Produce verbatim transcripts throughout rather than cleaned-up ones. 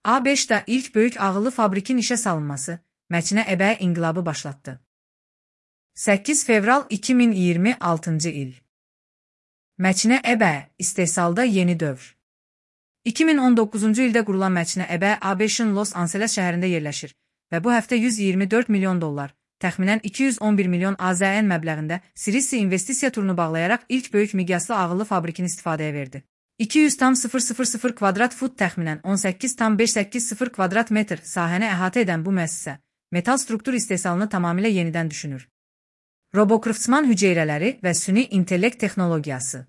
A beşdə ilk böyük ağıllı fabrikin işə salınması məkinə əbəyə inqilabı başlatdı. səkkiz fevral iki min iyirmi altıncı il. Məkinə əbəyə istehsalda yeni dövr. iki min on doqquzuncu ildə qurulan məkinə əbəyə A beşin Los Angeles şəhərində yerləşir və bu həftə yüz iyirmi dörd milyon dollar, təxminən iki yüz on bir milyon A Z N məbləğində Sirisi investisiya turunu bağlayaraq ilk böyük miqyaslı ağıllı fabrikini istifadəyə verdi. iki yüz tam sıfır sıfır sıfır kvadrat fut təxminən on səkkiz tam beş səkkiz sıfır kvadrat metr sahəni əhatə edən bu müəssisə, metal struktur istehsalını tamamilə yenidən düşünür. Robokraftsman hüceyrələri və süni intellekt texnologiyası.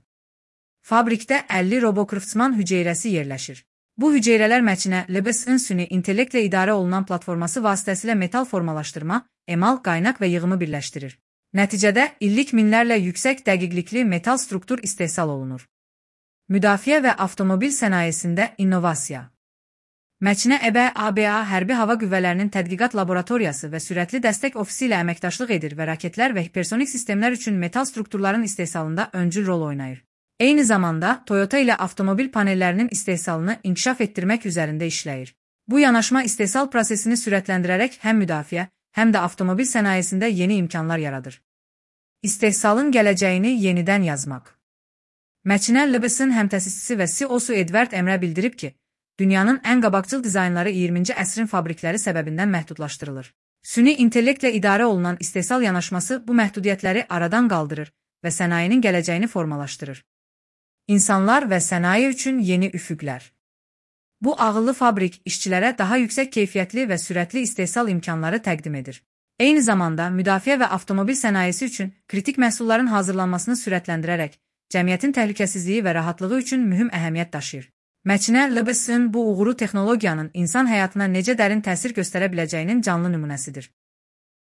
Fabrikdə əlli robokraftsman hüceyrəsi yerləşir. Bu hüceyrələr məkinə L B S-in süni intellektlə idarə olunan platforması vasitəsilə metal formalaşdırma, emal, qaynaq və yığımı birləşdirir. Nəticədə illik minlərlə yüksək dəqiqlikli metal struktur istehsal olunur. Müdafiə və avtomobil sənayesində innovasiya. Məkinə əbəyə A B A hərbi hava qüvvələrinin tədqiqat laboratoriyası və sürətli dəstək ofisi ilə əməkdaşlıq edir və raketlər və hipersonik sistemlər üçün metal strukturların istehsalında öncül rol oynayır. Eyni zamanda Toyota ilə avtomobil panellərinin istehsalını inkişaf etdirmək üzərində işləyir. Bu yanaşma istehsal prosesini sürətləndirərək həm müdafiə, həm də avtomobil sənayesində yeni imkanlar yaradır. İstehsalın gələcəyini yenidən yazmaq. Məkinə L B S-in həmtəsisçisi və C E O-su Edward Emrə bildirib ki, dünyanın ən qabaqcıl dizaynları iyirminci əsrin fabrikləri səbəbindən məhdudlaşdırılır. Süni intellektlə idarə olunan istehsal yanaşması bu məhdudiyyətləri aradan qaldırır və sənayenin gələcəyini formalaşdırır. İnsanlar və sənaye üçün yeni üfüqlər. Bu ağıllı fabrik işçilərə daha yüksək keyfiyyətli və sürətli istehsal imkanları təqdim edir. Eyni zamanda müdafiə və avtomobil sənayesi üçün kritik məhsulların hazırlanmasını sürətləndirərək, cəmiyyətin təhlükəsizliyi və rahatlığı üçün mühüm əhəmiyyət daşıyır. Məkinə L B S-in bu uğuru texnologiyanın insan həyatına necə dərin təsir göstərə biləcəyinin canlı nümunəsidir.